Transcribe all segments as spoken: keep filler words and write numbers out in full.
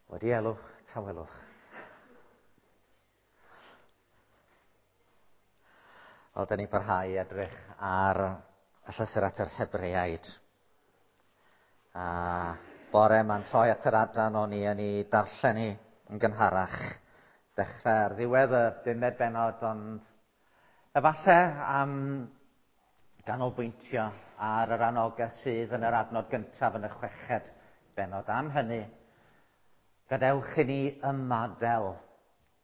Wedi elwch, tawelwch. Wel, da ni'n parhau i edrych ar y llythyr at yr Hebreaid. A bore ma'n troi at yr adran o'n i yn ei darllen hi yn gynharach. Dechrau ar ddiwedd y bumed bennod, ond efallai am ganolbwyntio ar yr anogaeth sydd yn yr adnod gyntaf yn y chweched bennod. Am hynny, gadewch i ni ymadael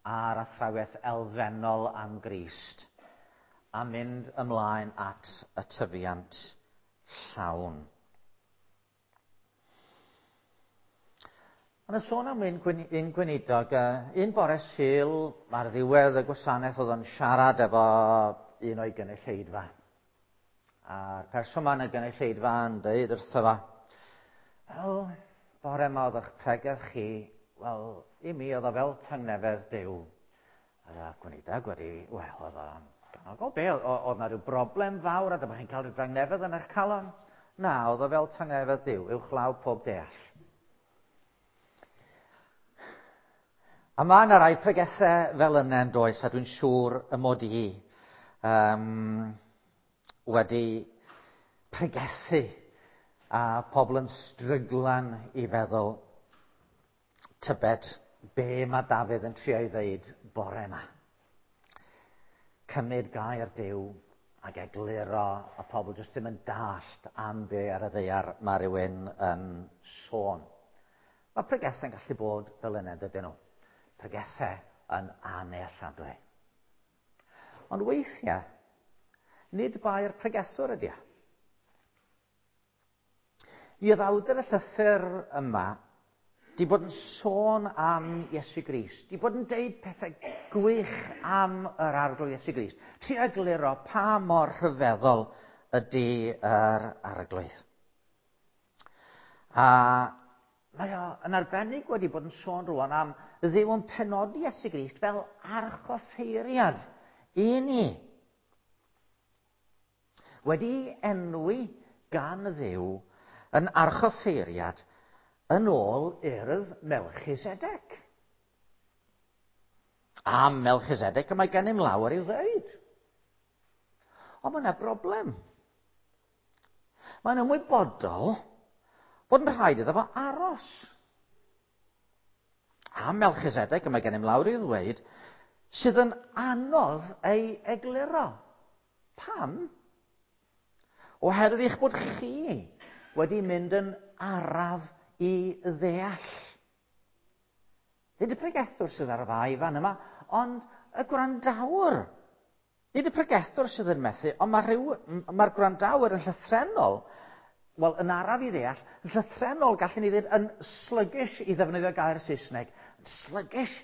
ar athrawiaeth elfennol am Grist a mynd ymlaen at y tyfiant llawn. Ond y sôn am un, un gweinidog, un bore Sul ar ddiwedd y gwasanaeth oedd o'n siarad efo un o'i gynulleidfa. A'r person yma yn y gynulleidfa yn dweud wrtho fo, wel, bore yma oedd eich pregeth chi, wel, i mi oedd o fel tangnefedd Duw. A'r gweinidog wedi, wel, oedd o'n ganogol be, oedd na rhyw broblem fawr a dyma chi'n cael rhyw dangnefedd yn eich calon? Na, oedd o fel tangnefedd Duw, uwchlaw pob deall. A mae yna rai pregethau fel yna yn does, a dwi'n siŵr y mod i um, wedi pregethu a pobl yn stryglan i feddwl tybed be mae Dafydd yn trio ei ddeud bore yma. Cymryd gair Duw ac egluro a pobl jyst ddim yn dallt am be ar y ddaear mae rhywun yn sôn. Mae pregethau'n gallu bod fel yna, dydyn nhw. Pregethau yn annealladwy. Ond weithiau, nid bai'r pregethwr ydy o. Mi oedd awdur y llythyr yma di bod yn sôn am Iesu Grist, di bod yn deud pethau gwych am yr Arglwydd Iesu Grist. Trio egluro pa mor rhyfeddol ydy yr Arglwydd. A mae o yn arbennig wedi bod yn sôn rwan am Dduw yn penodi Iesu Grist fel archoffeiriad i ni. Wedi enwi gan Dduw yn archoffeiriad yn ôl urdd Melchisedec. Am Melchisedec y mae gennym lawer i'w ddweud. Ond mae yna broblem. Mae'n ymwybodol bod yn rhaid iddo fo aros. Am Melchisedec y mae gennym lawer i'w ddweud sydd yn anodd ei egluro. Pam? Oherwydd eich bod chi wedi mynd yn araf i ddeall. Nid y pregethwr sydd ar y fai fan yma, ond y gwrandawr. Nid y pregethwr sydd yn methu, ond mae'r rhyw, mae'r gwrandawr yn llythrennol, wel, yn araf i ddeall, yn llythrennol gallwn ni ddweud yn sluggish i ddefnyddio gair Saesneg, yn sluggish,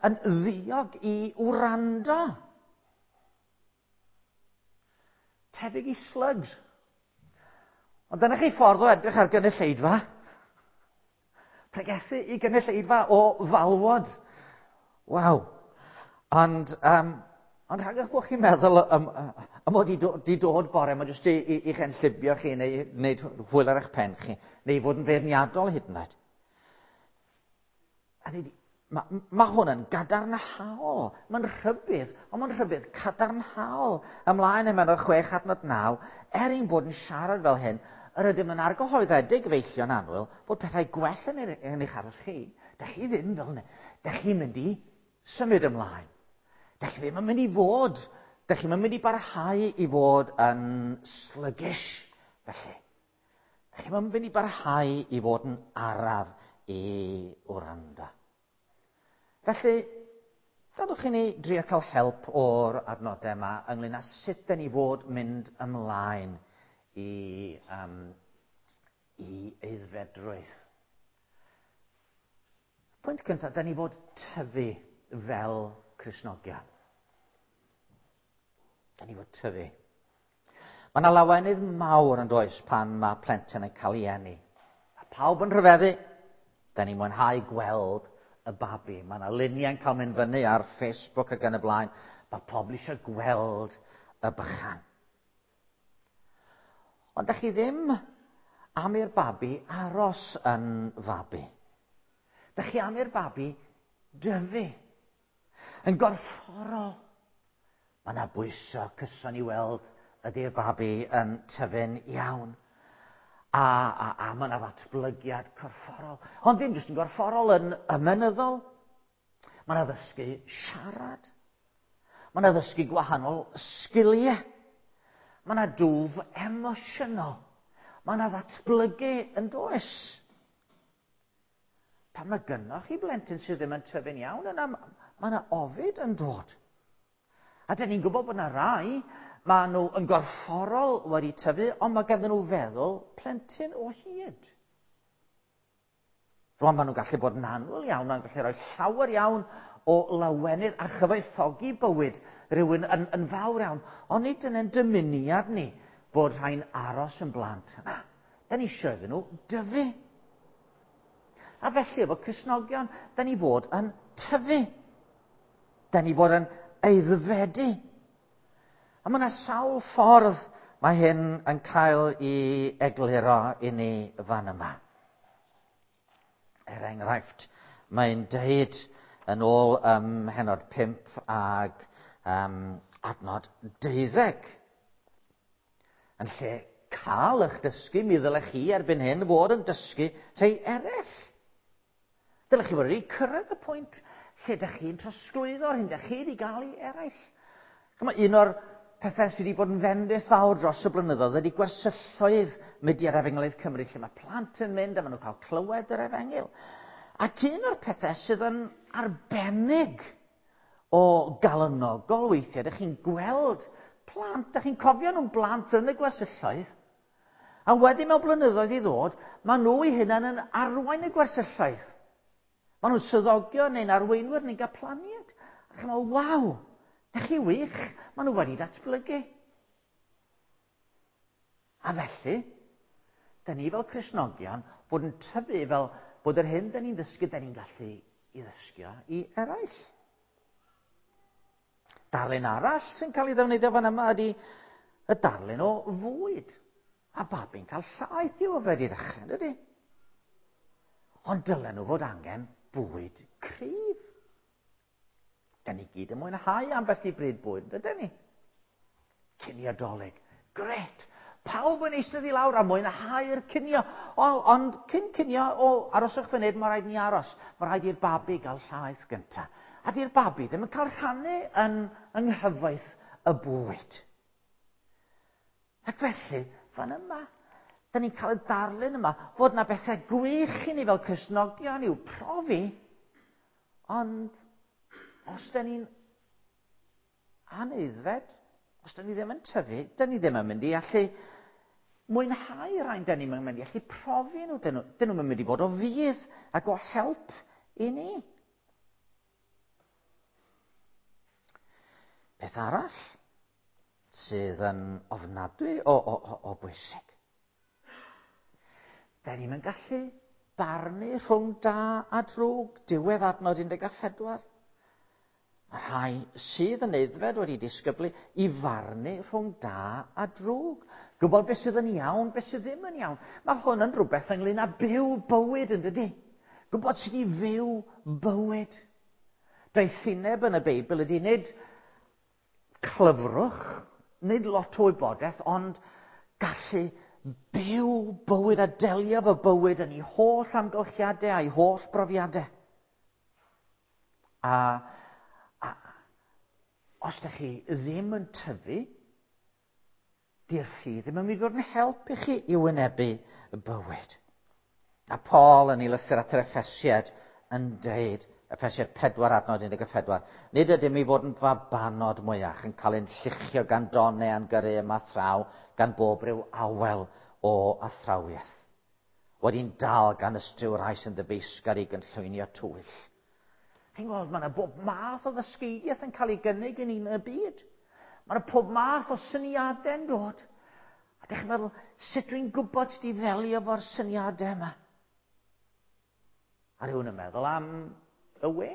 yn ddiog i wrando. Tebyg i slugs. Ond dyna chi ffordd o edrych ar gynulleidfa. Pregethu i gynulleidfa o falwod. Waw. Ond, um, ond rhag eich bod chi'n meddwl am, am mod i do, di dod bore, mae jyst i, i, i'ch enllibio chi neu wneud hwyl ar eich pen chi, neu fod yn feirniadol hyd yn oed. A ni, mae, ma hwn yn gadarnhaol. Mae'n rhybudd, ond mae'n rhybudd cadarnhaol. Ymlaen yn mewn chwech adnod naw, er ein bod yn siarad fel hyn, yr ydym yn argyhoeddedig feillion annwyl bod pethau gwell yn, yn eich aros chi. Dach chi ddim fel yna. Dach chi'n mynd i symud ymlaen. Dach chi ddim yn mynd i fod. Dach chi'n mynd i barhau i fod yn sluggish, felly. Dach chi'n mynd i barhau i fod yn araf i wrando. Felly, gadwch i ni drio cael help o'r adnodau yma ynglyn â sut dyn ni fod mynd ymlaen i, um, i aeddfedrwydd. Pwynt cyntaf, da ni fod tyfu fel Cristnogion. Da ni fod tyfu. Mae yna lawenydd mawr yn does pan mae plentyn yn cael ei eni. A pawb yn rhyfeddu. Da ni'n mwynhau gweld y babi. Mae yna luniau'n cael mynd fyny ar Facebook ac yn y blaen. Mae pobl eisiau gweld y bychan. Ond da chi ddim am i'r babi aros yn fabi. Dych chi am i'r babi dyfu. Yn gorfforol, mae yna bwyso cyson i weld ydy'r babi yn tyfu'n iawn. A, a, a mae yna ddatblygiad corfforol. Ond ddim jyst yn gorfforol, yn ymenyddol. Mae yna ddysgu siarad. Mae yna ddysgu gwahanol sgiliau. Mae yna dwf emosiynol. Mae yna ddatblygu yn does. Pan mae gynnoch chi blentyn sydd ddim yn tyfu'n iawn, yna mae yna ofid yn dod. A dyn ni'n gwybod bod yna rai, mae nhw yn gorfforol wedi tyfu, ond mae ganddyn nhw feddwl plentyn o hyd. Rwan maen nhw'n gallu bod yn annwyl iawn, maen nhw'n gallu rhoi llawer iawn o lawenydd a chyfoethogi bywyd rhywun yn, yn fawr iawn. Ond nid yn ein dymuniad ni bod rhai'n aros yn blant. Na, da ni eisiau iddyn nhw dyfu. A felly efo Cristnogion, da ni fod yn tyfu. Da ni fod yn aeddfedu. A mae yna sawl ffordd mae hyn yn cael ei egluro i ni fan yma. Er enghraifft, mae'n deud yn ôl um, pennod pump ag um, adnod deuddeg. Yn lle cael eich dysgu, mi ddylech chi erbyn hyn fod yn dysgu rhai eraill. Dylech chi fod wedi cyrraedd y pwynt lle ydych chi'n trosglwyddo'r hyn ydych chi wedi gael i eraill. Chymod, un o'r pethau sydd wedi bod yn fendith fawr dros y blynyddoedd ydy gwersylloedd Mudiad Efengylaidd Cymru, lle mae plant yn mynd a maen nhw'n cael clywed yr efengyl. Ac un o'r pethau sydd yn arbennig o galonogol weithiau, ydych chi'n gweld plant, ydych chi'n cofio nhw'n blant yn y gwersylloedd, a wedyn mewn blynyddoedd i ddod, maen nhw eu hunain yn arwain y gwersylloedd. Maen nhw'n swyddogion neu'n arweinwyr neu'n gaplaniaid. A chi'n meddwl, waw, ydych chi wych, maen nhw wedi datblygu. A felly, da ni fel Cristnogion fod yn tyfu fel bod yr hyn da ni'n ddysgu, da ni'n gallu i ddysgu i eraill. Darlun arall sy'n cael ei ddefnyddio fan yma ydy y darlun o fwyd. A babi'n cael llaeth i'w yfed i ddechrau, dydy? Ond dylen nhw fod angen bwyd cryf. Da ni gyd yn mwynhau ambell i bryd bwyd, dydyn ni? Cinio Dolig. Gret! Pawb yn eistedd i lawr a mwynhau'r cinio. O, ond cyn cinio, o, aroswch funud, mae rhaid ni aros. Mae rhaid i'r babi gael llaeth gyntaf. A di'r babi ddim yn cael rhannu yn yng nghyfoeth y bwyd. Ac felly, fan yma, da ni'n cael y darlun yma fod yna bethau gwych i ni fel Cristnogion i'w profi, ond os da ni'n anaeddfed, os da ni ddim yn tyfu, da ni ddim yn mynd i allu mwynhau rhain, da ni'n mynd i allu profi nhw, dyn nhw, dyn nhw'n mynd i fod o fudd ac o help i ni. Peth arall sydd yn ofnadwy o, o, o, o bwysig. Da ni'n mynd gallu barnu rhwng da a drwg, diwedd adnod un deg pedwar. Mae rhai sydd yn aeddfed wedi disgyblu i farnu rhwng da a drwg. Gwybod beth sydd yn iawn, beth sydd ddim yn iawn. Mae hwn yn rhywbeth ynglyn â byw bywyd, yn dydy? Gwybod sut i fyw bywyd. Doethineb yn y Beibl ydy nid clyfrwch, nid lot o wybodaeth, ond gallu byw bywyd a delio efo bywyd yn ei holl amgylchiadau a'i holl brofiadau. A, a os ydych chi ddim yn tyfu, di'r ffydd ddim yn mynd i fod yn help i chi i wynebu y bywyd. A Paul yn ei lythyr at yr Effesiaid yn deud, Effesiaid pedwar adnod un deg pedwar, nid ydym i fod yn fabanod mwyach yn cael ein lluchio gan donau a'n gyrru yma thraw gan bob rhyw awel o athrawiaeth. Wedi'n dal gan ystryw rai sy'n ddyfeisgar i gynllwynio twyll. Chi'n gweld, mae yna bob math o ddysgeidiaeth yn cael ei gynnig i ni yn y byd. Mae yna pob math o syniadau yn dod. A dych chi'n meddwl, sut dwi'n gwybod sut i ddelio efo'r syniadau yma? A rhywun yn meddwl am y we,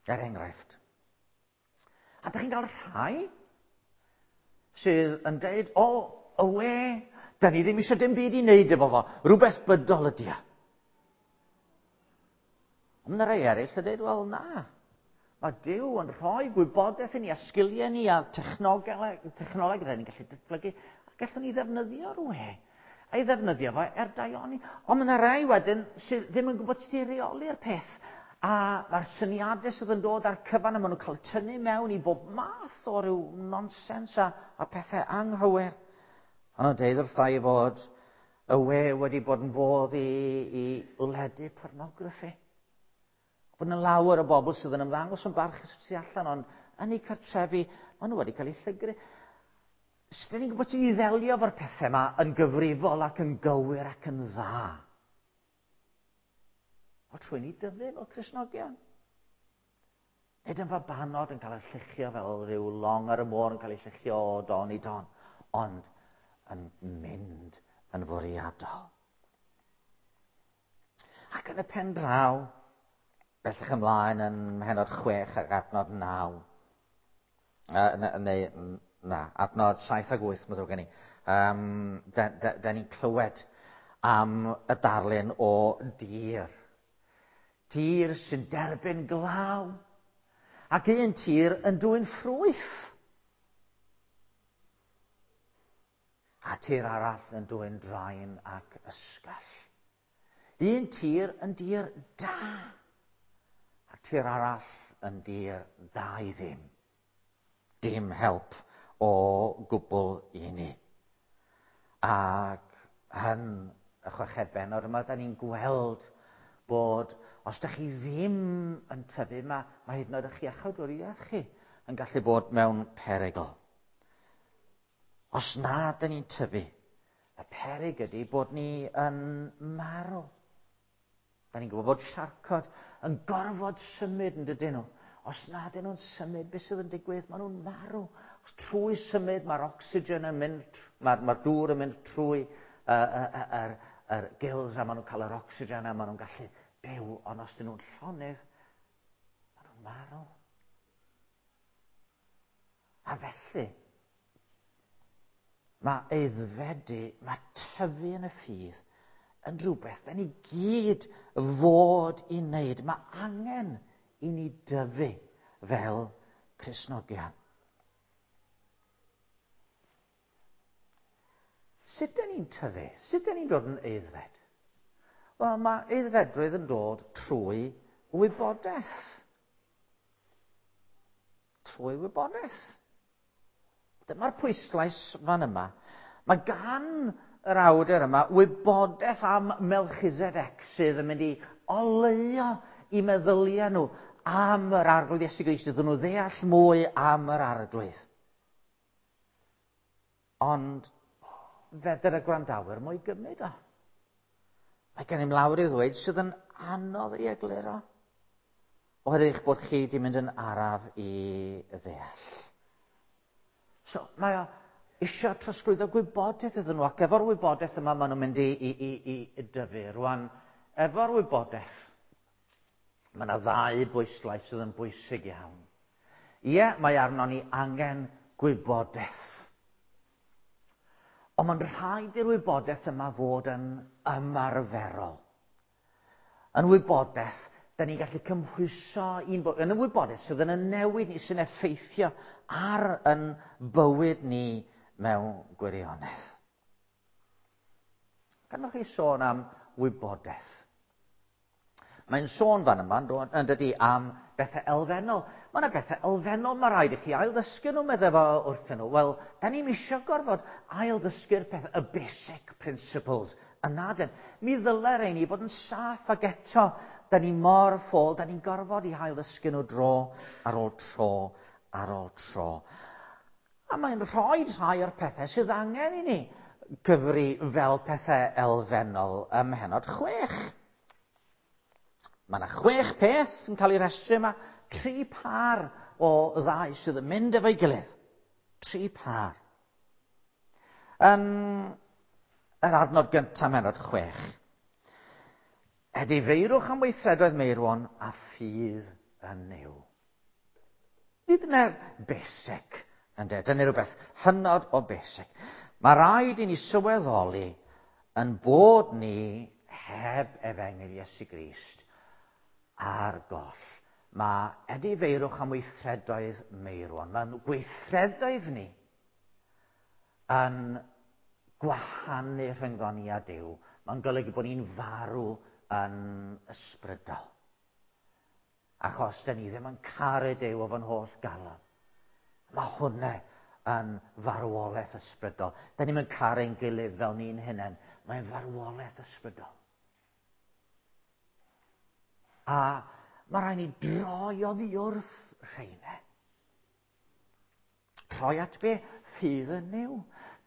er enghraifft. A dych chi'n cael rhai sydd yn deud, o, y we, da ni ddim eisiau dim byd i wneud efo fo, rhywbeth bydol ydy e. Ond mae rhai eraill yn dweud, wel na. Mae Duw yn rhoi gwybodaeth i ni a sgiliau ni a technoleg, technoleg rydyn ni'n gallu datblygu, a gallwn ni ddefnyddio'r we. A'i ddefnyddio fo er daioni. Ond mae yna rai wedyn sydd ddim yn gwybod sut i reoli'r peth. A mae'r syniadau sydd yn dod ar cyfan a maen nhw'n cael tynnu mewn i bob math o ryw nonsens a, a pethau anghywir. Ond nhw'n deud wrtha i fod y we wedi bod yn fodd i, i ledu pornograffi. Bod yna lawer o bobl sydd yn ymddangos yn barchus tu allan, ond yn eu cartrefi, maen nhw wedi cael eu llygru. Sut ni'n gwybod sut i ddelio efo'r pethau yma yn gyfrifol ac yn gywir ac yn dda? O trwy ni dyfu fel Cristnogion. Nid yn fabanod yn cael eu lluchio fel rhyw long ar y môr yn cael ei lluchio o don i don, ond yn mynd yn fwriadol. Ac yn y pen draw, bellach ymlaen yn mhenod chwech ac adnod naw, uh, neu na, adnod saith ag wyth, mae ddrwg gen i, um, da, da, da ni'n clywed am y darlun o dir. Tir sy'n derbyn glaw, ac un tir yn dwyn ffrwyth. A tir arall yn dwyn draen ac ysgall. Un tir yn dir da, a tir arall yn dir dda i ddim. Dim help o gwbl i ni. Ac yn y chweched bennod yma, da ni'n gweld bod os da chi ddim yn tyfu, mae, mae hyd yn oed eich iachawdwriaeth chi yn gallu bod mewn perygl. Os na da ni'n tyfu, y peryg ydy bod ni yn marw. Da ni'n gwybod bod siarcod yn gorfod symud yn dydyn nhw. Os na dyn nhw'n symud, beth sydd yn digwydd? Maen nhw'n marw. Os trwy symud, mae'r oxygen yn mynd, mae'r mae dŵr yn mynd trwy uh, uh, uh, yr gills a maen nhw'n cael yr oxygen a maen nhw'n gallu byw. Ond os dyn nhw'n llonydd, maen nhw'n marw. A felly, mae aeddfedu, mae tyfu yn y ffydd yn rhywbeth da ni gyd fod i wneud. Mae angen i ni dyfu fel Cristnogion. Sut da ni'n tyfu? Sut da ni'n dod yn aeddfed? Wel, mae aeddfedrwydd yn dod trwy wybodaeth. Trwy wybodaeth. Dyma'r pwyslais fan yma. Mae gan yr awdur yma wybodaeth am Melchizedek sydd yn mynd i oleuo i meddyliau nhw am yr Arglwydd Iesu Grist, iddyn nhw ddeall mwy am yr Arglwydd. Ond fedr y gwrandawyr mwy gymryd o. Mae gennym lawer i ddweud sydd yn anodd i egluro, oherwydd eich bod chi wedi mynd yn araf i ddeall. So, mae o eisiau trosglwyddo gwybodaeth iddyn nhw, ac efo'r wybodaeth yma maen nhw'n mynd i, i, i, i dyfu. Rwan, efo'r wybodaeth, mae yna ddau bwyslais sydd yn bwysig iawn. Ie, mae arnon ni angen gwybodaeth. Ond mae'n rhaid i'r wybodaeth yma fod yn ymarferol. Yn wybodaeth, da ni'n gallu cymhwyso un bo- yn y wybodaeth sydd yn y newid ni, sy'n effeithio ar yn bywyd ni mewn gwirionedd. Gallwch chi sôn am wybodaeth? Mae'n sôn fan yma, yn dydy, am bethau elfennol. Mae yna bethau elfennol mae rhaid i chi ail-ddysgu nhw, meddai fo wrthyn nhw. Wel, da ni'm eisiau gorfod ail-ddysgu'r pethau, y basic principles yna dyn. Mi ddylai rhaid ni fod yn saff ac eto, da ni mor ffôl, da ni'n gorfod i ail-ddysgu nhw dro ar ôl tro ar ôl tro. A mae'n rhoi rhai o'r pethau sydd angen i ni gyfri fel pethau elfennol ym mhennod chwech. Mae yna chwech peth yn cael ei restru yma, tri par o ddau sydd yn mynd efo'i gilydd. Tri par. Yn yr adnod gyntaf mennod chwech. Edifeirwch am weithredoedd meirwon a ffydd yn Nuw. Nid dyna'r basic, ynde? Dyna rhywbeth hynod o basic. Mae rhaid i ni sylweddoli yn bod ni heb efengyl Iesu Grist ar goll. Mae edifeirwch am weithredoedd meirwon. Mae'n gweithredoedd ni yn gwahanu rhyngddon ni a Duw. Mae'n golygu bod ni'n farw yn ysbrydol. Achos da ni ddim yn caru Duw o fo'n holl galon. Mae hwnna yn farwolaeth ysbrydol. Da ni'n yn caru'n gilydd fel ni'n hunain. Mae'n farwolaeth ysbrydol. A mae rhaid ni droi oddi wrth rheina. Troi at be? Ffydd yn Nuw.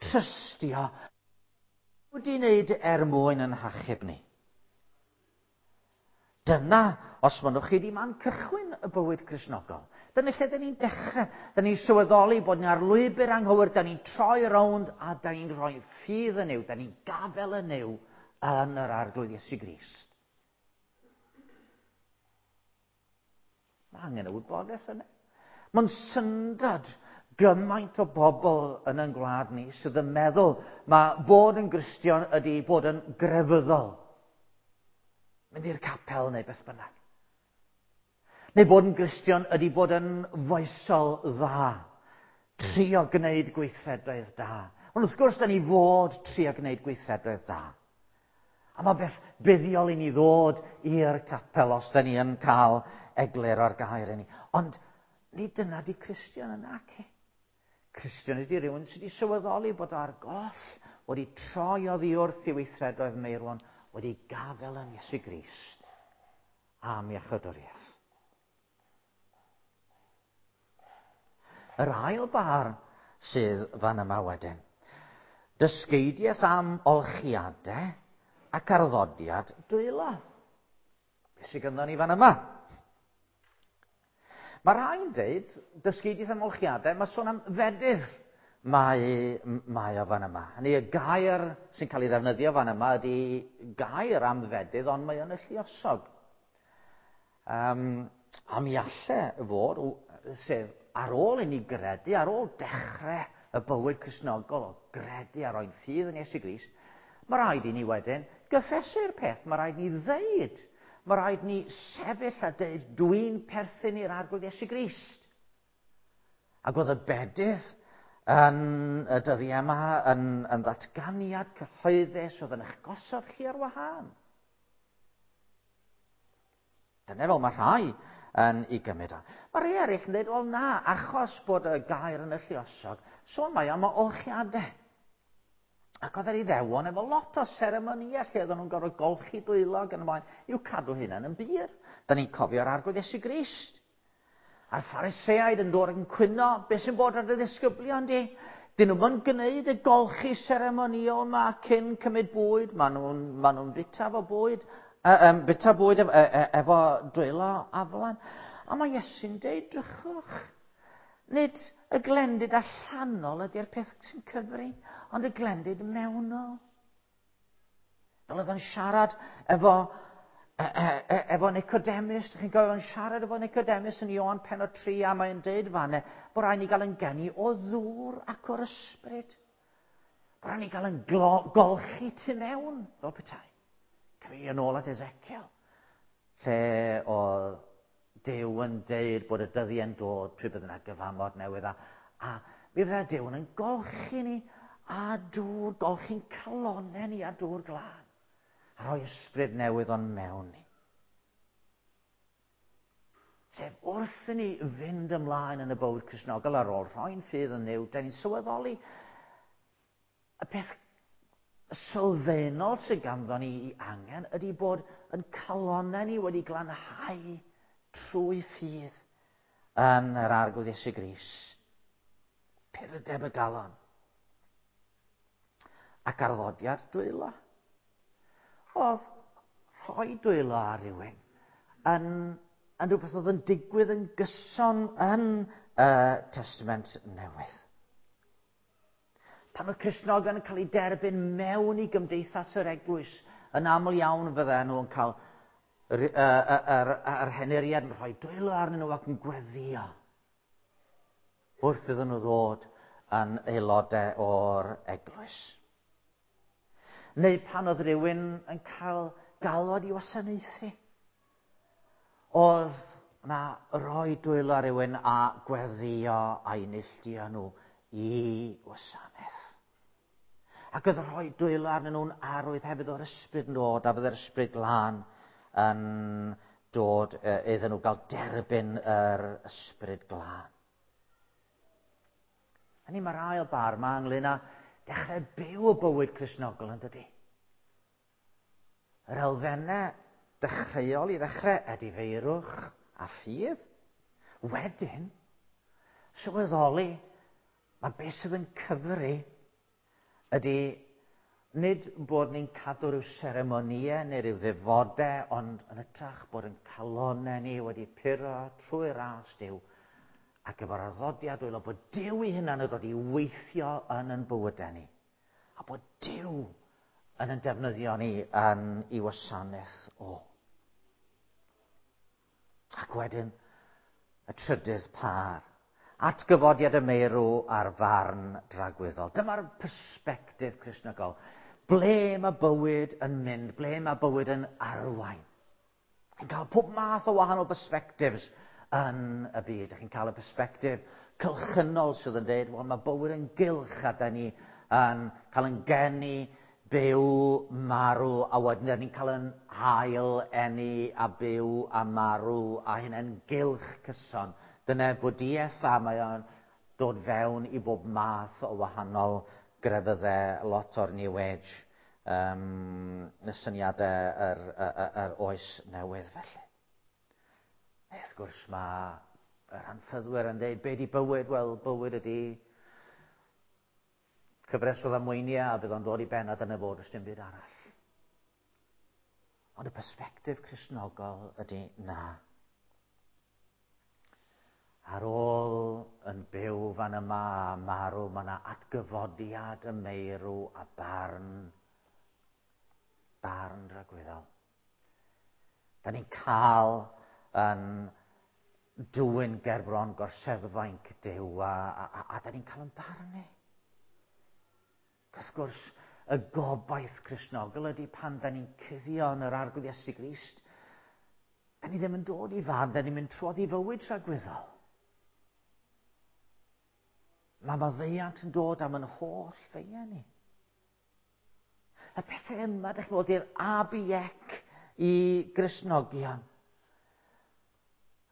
Trystio. Wedi wneud er mwyn yn hachub ni. Dyna, os mynnwch chi, di man cychwyn y bywyd Cristnogol. Dyna lle dyn ni'n dechrau. Dyn ni'n sylweddoli bod ni ar lwybr anghywir, dyn ni'n troi rownd a dyn ni'n rhoi ffydd yn Nuw, dyn ni'n gafel yn Nuw yn yr Arglwydd Iesu Grist. Mae angen y wybodaeth yna. Mae'n syndod gymaint o bobl yn ein gwlad ni sydd yn meddwl mae bod yn Gristion ydy bod yn grefyddol. Mynd i'r capel neu beth bynnag. Neu bod yn Gristion ydy bod yn foesol dda. Trio gwneud gweithredoedd da. Ond wrth gwrs, da ni fod trio gwneud gweithredoedd da. A mae beth buddiol i ni ddod i'r capel os da ni yn cael eglur o'r gair i ni. Ond nid dyna di Cristion yna, ci. Cristion ydy rhywun sydd wedi sylweddoli bod ar goll, wedi troi oddi wrth i weithredoedd meirwon, wedi gafel yn Iesu Grist am iachawdwriaeth. Yr ail bar sydd fan yma wedyn. Dysgeidiaeth am olchiadau ac arddodiad dwylo. Beth sydd ganddo ni fan yma? Mae rhai'n deud, dysgeidiaeth am olchiadau, mae sôn am fedydd mae, mae o fan yma. Hynny y gair sy'n cael ei ddefnyddio fan yma ydy gair am fedydd, ond mae o'n y lluosog. Um, a mi alle fod, sef ar ôl i ni gredu, ar ôl dechrau y bywyd Cristnogol o gredu a roi'n ffydd yn Iesu Grist, mae rhaid i ni wedyn gyffesu'r peth, mae rhaid ni ddeud, mae rhaid ni sefyll a deud, dwi'n perthyn i'r Arglwydd Iesu Grist. Ac oedd y bedydd yn y dyddiau yma yn, yn ddatganiad cyhoeddus oedd yn eich gosod chi ar wahân. Dyna fel mae rhai yn ei gymryd o. Mae rhai eraill yn dweud, wel na, achos bod y gair yn y lluosog, sôn mae am olchiadau. Ac oedd yr Iddewon efo lot o seremonïau lle oedden nhw'n gorfod golchi dwylo ac yn y blaen i'w cadw hunain yn bur. Da ni'n cofio'r Arglwydd Iesu Grist. A'r Phariseaid yn dod yn cwyno, beth sy'n bod ar y ddisgyblion di? Dyn nhw'n gwneud y golchi seremonïol yma cyn cymryd bwyd. Maen nhw'n ma nhw bita efo bwyd, uh, um, bita bwyd efo, e, efo dwylo aflan. A mae Iesu'n deud, drychwch, nid y glendid allanol ydy'r peth sy'n cyfri, ond y glendid mewnol. Fel oedd o'n siarad efo, e, e, e, efo Nicodemus, chi'n cofio o'n siarad efo Nicodemus yn Ioan pennod tri, a mae'n deud fanne bod rhaid ni gael yn geni o ddŵr ac o'r ysbryd. Bod rhaid ni gael yn golchi tu mewn, fel petai. Cyfeirio yn ôl at Ezekiel, lle oedd Duw yn deud bod y dyddiau'n dod pryd bydd yna gyfamod newydd a, a mi fydda Duw yn golchi ni a dŵr, golchi'n calonnau ni a dŵr glân a rhoi ysbryd newydd o'n mewn ni. Sef wrth i ni fynd ymlaen yn y bywyd Cristnogol ar ôl rhoi'n ffydd yn Nuw, da ni'n sylweddoli y peth sylfaenol sydd ganddo ni i angen ydy bod yn calonnau ni wedi glanhau trwy ffydd yn yr Arglwydd Iesu Grist. Purdeb y galon. Ac arddodiad dwylo. Oedd rhoi dwylo ar rywun yn, yn rhywbeth oedd yn digwydd yn gyson yn y Testament Newydd. Pan oedd Cristnogion yn cael eu derbyn mewn i gymdeithas yr eglwys, yn aml iawn fydden nhw'n cael yr, yr, yr, yr henuriad yn rhoi dwylo arnyn nhw ac yn gweddio wrth iddyn nhw ddod yn aelodau o'r eglwys. Neu pan oedd rhywun yn cael galwad i wasanaethu. Oedd na roi dwylo ar rywun a gweddio a'i neilltuo nhw i wasanaeth. Ac oedd rhoi dwylo arnyn nhw'n arwydd hefyd o'r ysbryd yn dod, a fydde'r ysbryd glân yn dod iddyn nhw gael derbyn yr ysbryd glân. Hynny mae'r ail bar yma ynglyn â dechrau byw y bywyd Cristnogol yn dydy. Yr elfennau dechreuol i ddechrau edifeirwch a ffydd. Wedyn, sylweddoli, mae beth sydd yn cyfri ydy nid bod ni'n cadw rhyw seremonïau neu rhyw ddefodau, ond yn hytrach bod yn calonau ni wedi puro trwy ras Duw ac efo'r arddodiad dwylo bod Duw ei hunan yn dod i weithio yn yn bywydau ni. A bod Duw yn yn defnyddio ni yn ei wasanaeth o. Ac wedyn, y trydydd pâr. Atgyfodiad y meirw a'r farn dragwyddol. Dyma'r persbectif Cristnogol. Ble mae bywyd yn mynd? Ble mae bywyd yn arwain? Chi'n cael pob math o wahanol perspectives yn y byd. Chi'n cael y persbectif cylchynol sydd yn dweud, wel, mae bywyd yn gylch a da ni yn cael yn geni, byw, marw, a wedyn da ni'n cael yn hail, eni, a byw, a marw, a hynny'n gylch cyson. Dyna bwdiaeth a mae o'n dod fewn i bob math o wahanol grefyddau, lot o'r New Age, um, y syniadau yr, yr, yr oes newydd felly. Neu, wrth gwrs, mae yr anffyddwyr yn dweud, be di bywyd? Wel, bywyd ydi cyfres o ddamweiniau a fydd o'n dod i ben a dyna fod, ys dim byd arall. Ond y persbectif Cristnogol ydy na. Ar ôl yn byw fan yma a marw, mae yna atgyfodiad y meirw a barn, barn dragwyddol. Da ni'n cael yn dwyn gerbron gorseddfainc Duw a, a, a, a da ni'n cael yn barnu. Wrth gwrs, y gobaith Cristnogol ydy pan da ni'n cuddio yn yr Arglwydd Iesu Grist, da ni ddim yn dod i farn, da ni'n mynd trwodd i fywyd tragwyddol. Mae maddeuant yn dod am yn holl feiau ni. Y pethau yma, dych chi'n gwybod, i'r A B C i Gristnogion.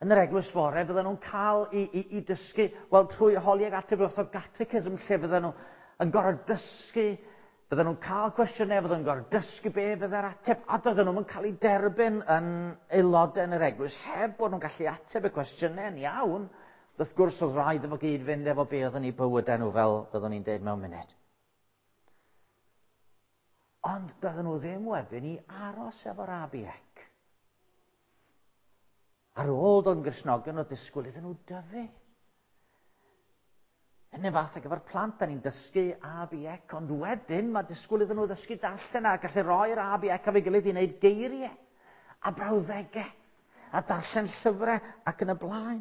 Yn yr eglwys fore, fydden nhw'n cael i, i, i dysgu, wel, trwy holi ag ateb wrth o catechism, lle fydden nhw yn gorfod dysgu, fydden nhw'n cael cwestiynau, fydden nhw'n gorfod dysgu be fydde'r ateb, a doedden nhw'n cael eu derbyn yn aelodau yn yr eglwys, heb bod nhw'n gallu ateb y cwestiynau yn iawn. Wrth gwrs, oedd rhaid efo gyd fynd efo be oedd yn eu bywydau nhw, fel byddwn ni'n deud mewn munud. Ond doedden nhw ddim wedyn i aros efo'r A B C. Ar ôl dod yn Gristnogion, oedd disgwyl iddyn nhw dyfu. Yn y fath ag efo'r plant, da ni'n dysgu A B C, ond wedyn mae disgwyl iddyn nhw ddysgu darllen a gallu roi'r A B C efo'i gilydd i wneud geiriau a brawddegau a darllen llyfrau ac yn y blaen.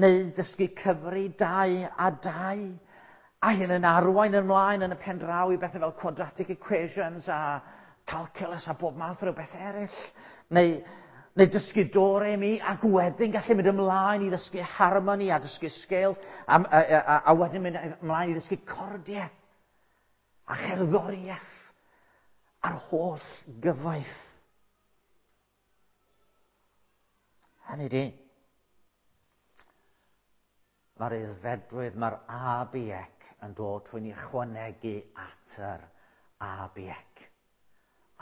Neu dysgu cyfri dau a dau. A hyn yn arwain ymlaen yn y pen draw i bethau fel quadratic equations a calculus a bob math o bethau eraill. Neu, neu dysgu do, re, mi, ac wedyn gallu mynd ymlaen i ddysgu harmoni a dysgu scales, a, a, a, a wedyn mynd ymlaen i ddysgu cordiau a cherddoriaeth a'r holl gyfoeth. Hynny di, mae'r aeddfedrwydd, mae'r A B C yn dod trwy ni chwanegu at yr A B C.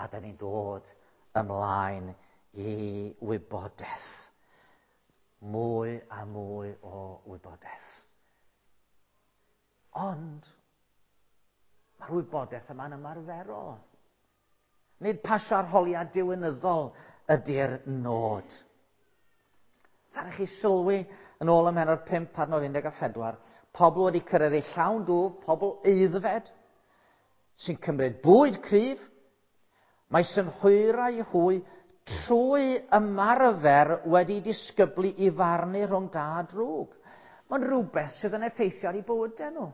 A da ni'n dod ymlaen i wybodaeth. Mwy a mwy o wybodaeth. Ond mae'r wybodaeth yma'n ymarferol. Nid pasio arholiad diwinyddol ydy'r nod. Ddaru chi sylwi yn ôl ym mhennod pump adnod un deg a phedwar, pobl wedi cyrraedd eu llawn dwf, pobl aeddfed, sy'n cymryd bwyd cryf, mae synhwyrau hwy trwy ymarfer wedi disgyblu i farnu rhwng da a drwg. Mae'n rhywbeth sydd yn effeithio ar eu bywydau nhw.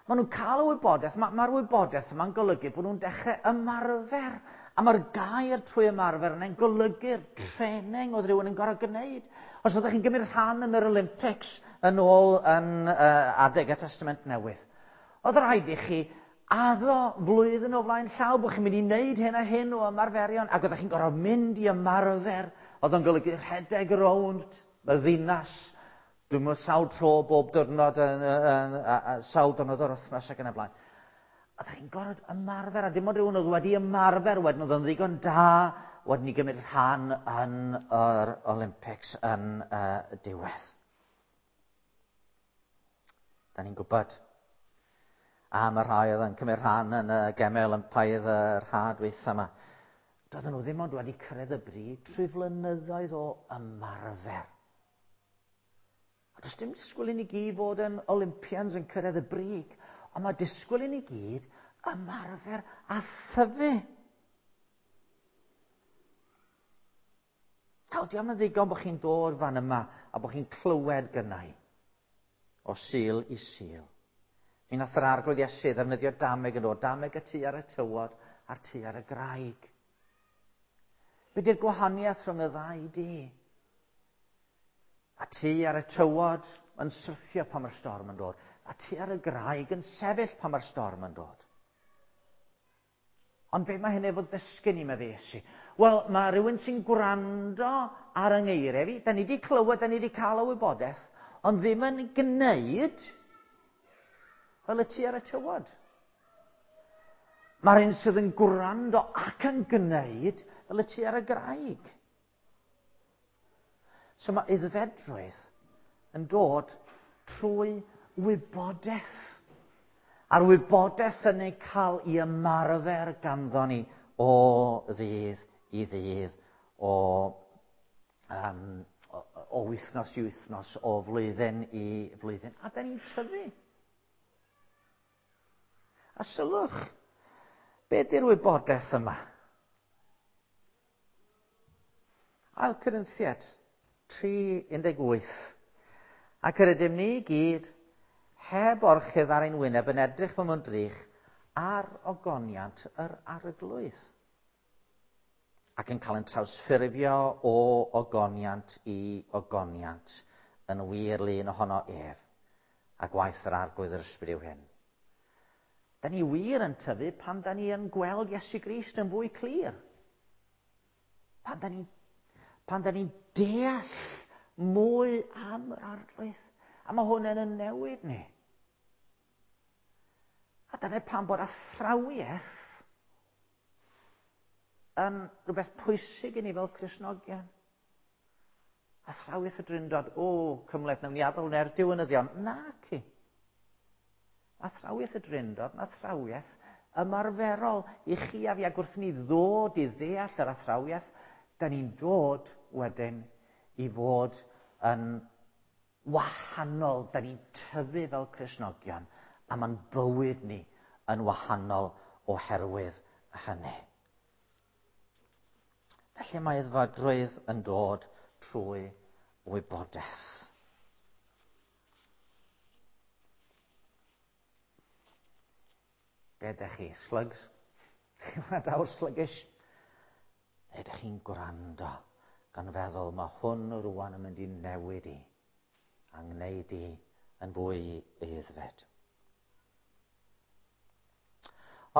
Maen nhw'n cael y wybodaeth, mae'r ma wybodaeth yma'n golygu bod nhw'n dechrau ymarfer A mae'r gair trwy ymarfer yna'n golygu'r training oedd rhywun yn gorfod gwneud. Os oeddech chi'n gymryd rhan yn yr Olympics yn ôl yn uh, adeg y Testament Newydd, oedd rhaid i chi addo flwyddyn o flaen llaw bod chi'n mynd i wneud hyn a hyn o ymarferion, ac oeddech chi'n gorfod mynd i ymarfer. Oedd o'n golygu rhedeg rownd y ddinas, dwi'n meddwl sawl tro bob diwrnod, yn, yn, yn, sawl diwrnod o'r wythnos ac yn y blaen. A ddech chi'n gorfod ymarfer, a dim ond rhywun oedd wedi ymarfer wedyn oedd yn ddigon da wedyn i gymryd rhan yn yr Olympics yn uh, diwedd. Da ni'n gwybod am y rhai oedd yn cymryd rhan yn y Gemau Olympaidd yr ha dwytha yma. Doedden nhw ddim ond wedi cyrraedd y brig trwy flynyddoedd o ymarfer. A does dim disgwyl i ni gyd fod yn Olympians yn cyrraedd y brig, ond mae disgwyl i ni gyd ymarfer a thyfu. Nawr, diolch yn ddigon bod chi'n dod fan yma a bod chi'n clywed gynnau o Sul i Sul. Mi nath yr Arglwydd Iesu ddefnyddio dameg yn dod, dameg y tŷ ar y tywod a'r tŷ ar y graig. Be di'r gwahaniaeth rhwng y ddau dŷ? A tŷ ar y tywod yn syrthio pan mae'r storm yn dod. A tŷ ar y graig yn sefyll pan mae'r storm yn dod. Ond be mae hyn efo ddysgu ni, medde Iesu? Wel, mae rhywun sy'n gwrando ar yng ngeiriau fi. Da ni wedi clywed, da ni wedi cael y wybodaeth, ond ddim yn gwneud fel y tŷ ar y tywod. Mae'r un sydd yn gwrando ac yn gwneud fel y tŷ ar y graig. So mae aeddfedrwydd yn dod trwy wybodaeth. A'r wybodaeth yn ei cael i ymarfer ganddo ni o ddydd i ddydd, o, um, o, o wythnos i wythnos, o flwyddyn i flwyddyn. A da ni'n tyfu. A sylwch, be di'r wybodaeth yma? Ail Corinthiaid tri un deg wyth. Ac yr ydym ni gyd heb orchudd ar ein wyneb yn edrych fel mewn drych ar ogoniant yr Arglwydd. Ac yn cael ein trawsffurfio o ogoniant i ogoniant yn wir lun ohono ef. A gwaith yr Arglwydd yr Ysbryd yw hyn. Da ni wir yn tyfu pan da ni yn gweld Iesu Grist yn fwy clir. Pan da ni'n pan da ni'n deall mwy am yr Arglwydd. A mae hwn yn newid ni. A dyna pam bod athrawiaeth yn rhywbeth pwysig i ni fel Cristnogion. Athrawiaeth y Drindod, o, cymhleth, nawn ni adael hwnna i'r diwinyddion. Naci. Athrawiaeth y Drindod yn athrawiaeth ymarferol i chi a fi, ac wrth ni ddod i ddeall yr athrawiaeth, da ni'n dod wedyn i fod yn wahanol, da ni'n tyfu fel Cristnogion, a mae'n bywyd ni yn wahanol oherwydd hynny. Felly mae aeddfedrwydd yn dod trwy wybodaeth. Be ydych chi? Slugs? Chi'n gwrandawr sluggish? Neu ydych chi'n gwrando gan feddwl mae hwn rwan yn mynd i newid i a ngwneud i yn fwy aeddfed.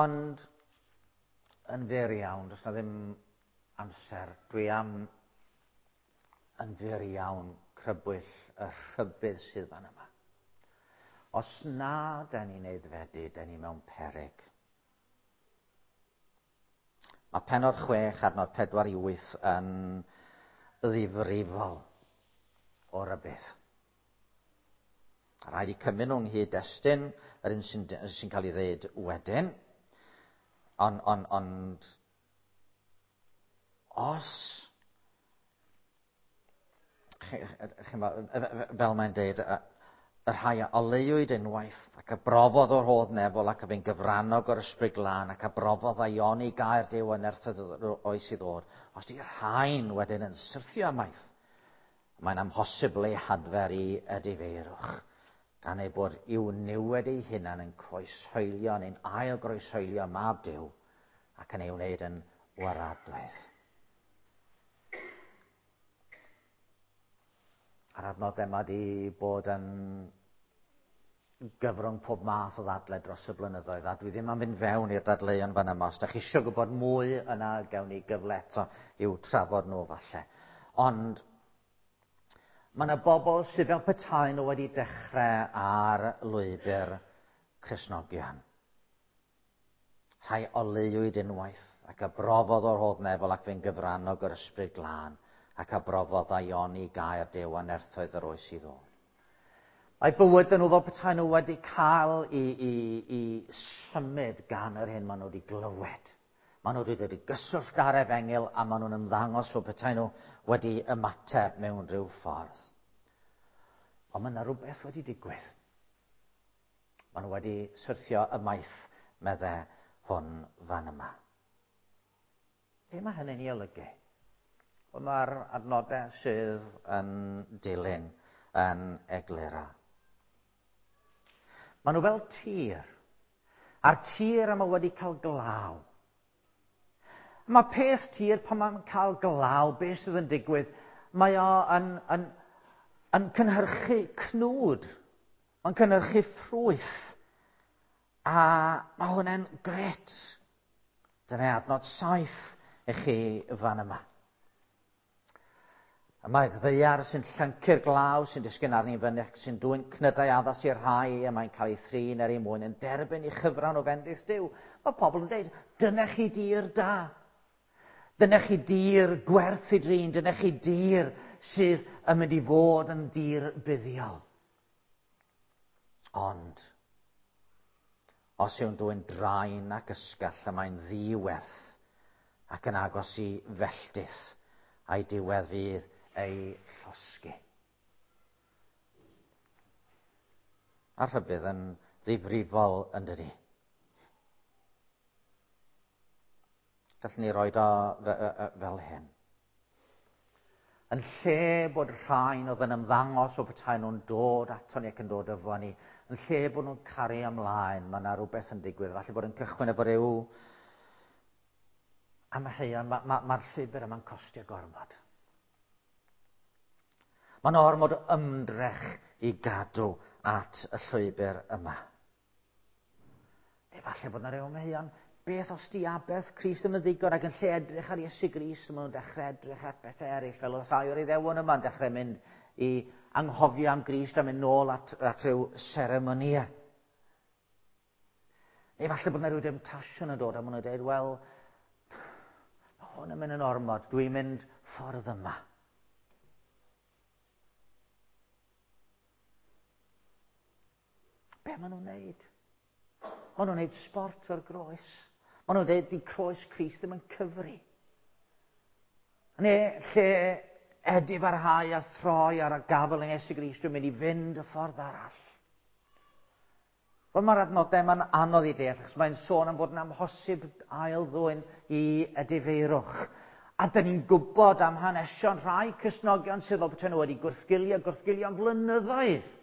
Ond yn fyr iawn, does na ddim amser, dwi am yn fyr iawn crybwyll y rhybudd sydd fan yma. Os na da ni'n aeddfedu, da ni mewn peryg. Mae pennod chwech, adnod pedwar i wyth yn ddifrifol o rybudd. A rhaid i cymryd nhw ynghyd-destun, yr un sy'n sy cael ei ddeud wedyn. Ond, on, ond os, fel mae'n deud, y rhai a oleuwyd unwaith ac a brofodd o'r rhodd nefol ac a fu'n gyfrannog o'r Ysbryd Glân ac a brofodd aioni gair Duw yn nerthoedd oes i ddod. Os di rhain wedyn yn syrthio ymaith, mae'n amhosibl eu hadfer i edifeirwch, gan ei bod i'w niwed ei hunan yn croeshoelio neu'n ail groeshoelio mab Duw ac yn ei wneud yn waradwydd. A'r adnodau yma wedi bod yn gyfrwng pob math o ddadle dros y blynyddoedd, a dwi ddim am fynd fewn i'r dadleuon fan yma. Os da chi eisiau gwybod mwy yna, gawn ni gyfle eto i'w trafod nhw falle. Ond mae yna bobl sydd fel petai nhw wedi dechrau ar lwybr Cristnogion. Rhai oleuwyd unwaith ac a brofodd o'r hodd nefol ac fe'n gyfrannog o'r ysbryd glân ac a brofodd aioni gair Duw a nerthoedd yr oes i ddod. Mae bywyd nhw fel petai nhw wedi cael i, i, i symud gan yr hyn maen nhw wedi glywed. Maen nhw wedi dod i gyswllt ar efengyl a maen nhw'n ymddangos fel petai nhw wedi ymateb mewn rhyw ffordd. Ond mae yna rhywbeth wedi digwydd. Maen nhw wedi syrthio ymaith, medde hwn fan yma. Be mae hynny'n ei olygu? Wel, mae'r adnodau sydd yn dilyn yn eglura. Maen nhw fel tir. A'r tir yma wedi cael glaw. Mae peth tir pan mae'n cael glaw, beth sydd yn digwydd, mae o yn, yn, yn cynhyrchu cnwd. Mae'n cynhyrchu ffrwyth. A mae hwnna'n gret. Dyna adnod saith i chi fan yma. Y mae'r ddaear sy'n llyncu'r glaw sy'n disgyn arni fyny ac sy'n dwyn cnydau addas i'r rhai a mae'n cael ei thrin er ei mwyn yn derbyn ei chyfran o fendith Duw. Mae pobl yn dweud, dyna chi dir da. Dyna chi dir gwerth i drin. Dyna chi dir sydd yn mynd i fod yn dir buddiol. Ond, os yw'n dwyn draen ac ysgall y mae'n ddiwerth ac yn agos i felltith a'i diwedd fydd ei llosgi. A'r rhybudd yn ddifrifol yn dydi. Gallwn ni roed o fel hyn. Yn lle bod rhain oedd yn ymddangos o petai nhw'n dod ato ni ac yn dod efo ni, yn lle bod nhw'n cario ymlaen, mae yna rhywbeth yn digwydd. Falle bod yn cychwyn efo ryw amheuon, mae'r ma, ma, ma llwybr yma'n costio gormod. Mae'n ormod o ymdrech i gadw at y llwybr yma. Neu falle bod yna ryw amheuon, beth os di aberth Crist ddim yn ddigon ac yn lle edrych ar Iesu Grist, maen nhw'n dechrau edrych at bethau eraill, fel oedd rhai o'r Iddewon yma'n dechrau mynd i anghofio am Grist a mynd nôl at, at rhyw seremonïau. Neu falle bod yna rhyw demtasiwn yn dod a maen nhw'n dweud, wel, mae hwn yn mynd yn ormod, dwi'n mynd ffordd yma. Be maen nhw'n neud? Maen nhw'n neud sport o'r groes. Maen nhw'n dweud, di croes Crist ddim yn cyfri. Neu lle edifarhau a throi ar y gafel yng Iesu Grist, dwi'n mynd i fynd y ffordd arall. Wel, mae'r adnodau yma'n anodd i deall, achos mae'n sôn am fod yn amhosib ail ddwyn i edifeirwch. A dyn ni'n gwybod am hanesion rhai Cristnogion sydd fel petai nhw wedi gwrthgilio, gwrthgilio am flynyddoedd.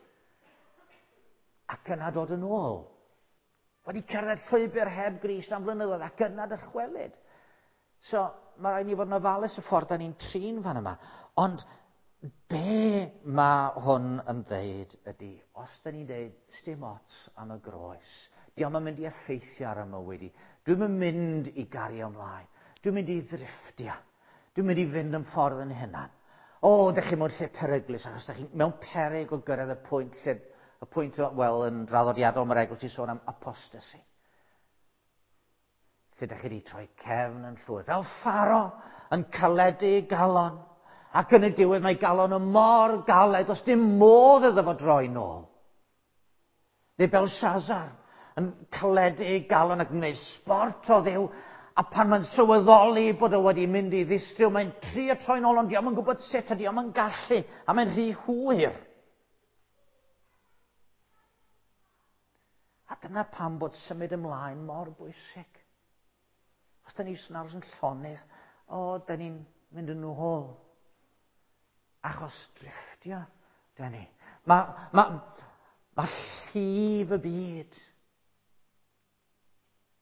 Ac yna dod yn ôl. Wedi cerdded llwybr heb Grist am flynyddoedd ac yna dychwelyd. So, mae rhaid ni fod yn ofalus y ffordd da ni'n trin fan yma. Ond be mae hwn yn ddeud ydy, os da ni'n deud, sdim ots am y groes, dio'm yn mynd i effeithio ar y mywyd i, dwi'm yn mynd i gario ymlaen, dwi'n mynd i ddrifftio, dwi'n mynd i fynd yn ffordd yn hunan. O, dych chi mewn lle peryglus, achos dych chi mewn peryg o gyrraedd y pwynt lle, y pwynt, wel, yn draddodiadol mae'r eglwys i sôn am apostasy. Lle dych chi wedi troi cefn yn llwyr, fel Pharo yn caledu galon, ac yn y diwedd mae galon yn mor galed, does dim modd iddo fo droi nôl. Neu Belshazzar yn caledu galon ac yn gwneud sport o Dduw, a pan mae'n sylweddoli bod o wedi mynd i ddistryw, mae'n trio troi nôl, ond dio'm yn gwybod sut a dio'm yn gallu, a mae'n rhy hwyr. A dyna pam bod symud ymlaen mor bwysig. Os da ni jyst yn aros yn llonydd, o, da ni'n mynd yn ôl. Achos drifftio, da ni. Mae ma, ma llif y byd.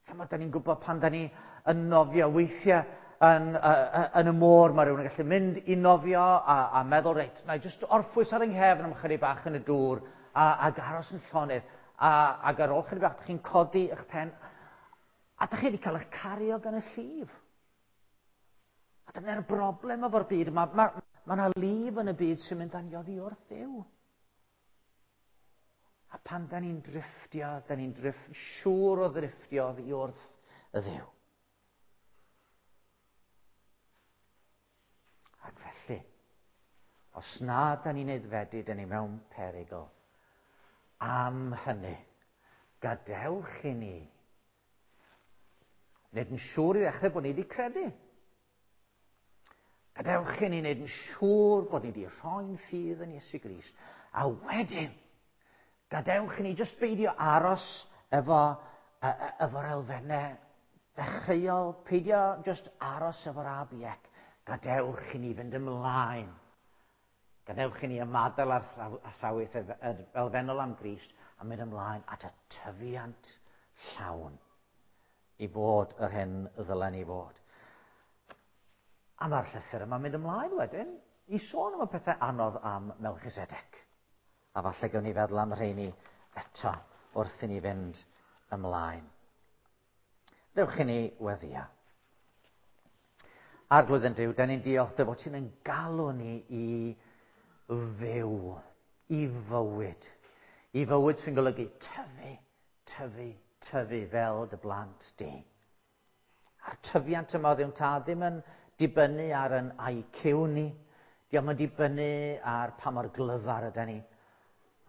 Chymod, da ni'n gwybod pan da ni yn nofio weithiau, yn, uh, yn y môr, mae rhywun yn gallu mynd i nofio a, a meddwl, reit, na i jyst orffwys ar yng nghefn am chydig bach yn y dŵr a, ac aros yn llonydd. A, ac ar ôl chydig bach, dych chi'n codi eich pen a dych chi wedi cael eich cario gan y llif. A dyna'r broblem efo'r byd. Mae ma, ma yna lif yn y byd sy'n mynd â ni oddi wrth Dduw. A pan da ni'n drifftio, da ni'n driff, siŵr o ddrifftio oddi wrth y Dduw. Ac felly, os na da ni'n aeddfedu, da ni mewn perygl. Am hynny, gadewch i ni wneud yn siŵr i ddechrau bod ni wedi credu. Gadewch i ni wneud yn siŵr bod ni wedi rhoi'n ffydd yn Iesu Grist. A wedyn, gadewch i ni jyst beidio aros efo, efo'r elfennau dechreuol, peidio jyst aros efo'r A B C. Gadewch i ni fynd ymlaen. Gadewch i ni ymadael â'r athrawiaeth elfennol am Grist a mynd ymlaen at y tyfiant llawn i fod yr hyn ddylen ni fod. A mae'r llythyr yma'n mynd ymlaen wedyn i sôn am y pethau anodd am Melchisedec. A falle gawn ni feddwl am rheini eto wrth i ni fynd ymlaen. Dewch i ni weddio. Arglwydd yn Duw, da ni'n diolch dy fod ti'n yn galw ni i fyw, i fywyd. I fywyd sy'n golygu tyfu, tyfu, tyfu fel dy blant di. A'r tyfiant yma Dduw Tad ddim yn dibynnu ar yn I Q ni, diolch yn dibynnu ar pa mor glyfar yda ni.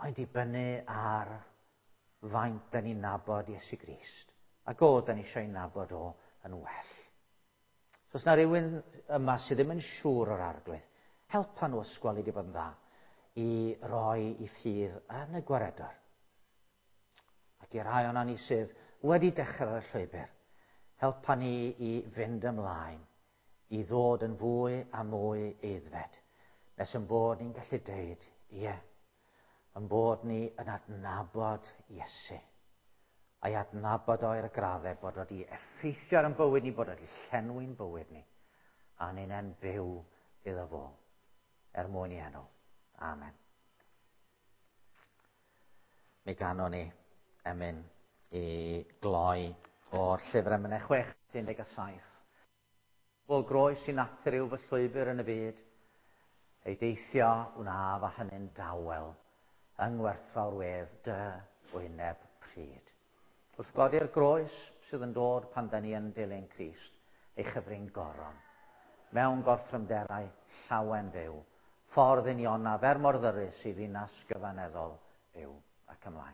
Mae'n dibynnu ar faint da ni'n nabod Iesu Grist. Ac o, da ni eisiau nabod o yn well. So, os na rhywun yma sydd ddim yn siŵr o'r Arglwydd, helpa nhw ysgweli di fod yn dda i roi i ffydd yn y gwaredwr. Ac i'r rhai o'na ni sydd wedi dechrau ar y llwybr, helpa ni i fynd ymlaen, i ddod yn fwy a mwy aeddfed, nes yn bod ni'n gallu deud, ie, yn bod ni yn adnabod Iesu. A'i adnabod o i'r graddau bod wedi effeithio ar ein bywyd ni, bod wedi llenwi'n bywyd ni, a ni'n en byw iddo fo, er mwyn i enw. Amen. Mi ganon ni emyn i gloi o'r llyfr Emynau chwech, un deg saith. O groes i natur yw fy llwybr yn y byd, ei deithio wnaf a hynny'n dawel, yng ngwerthfawr wedd dy wyneb pryd. Wrth godi'r groes sydd yn dod pan da ni yn dilyn Crist, ei chyfrin goron, mewn gorthrymderau llawen fyw, ffordd unionaf er mor ddyrus i ddinas gyfaneddol yw ac ymlaen.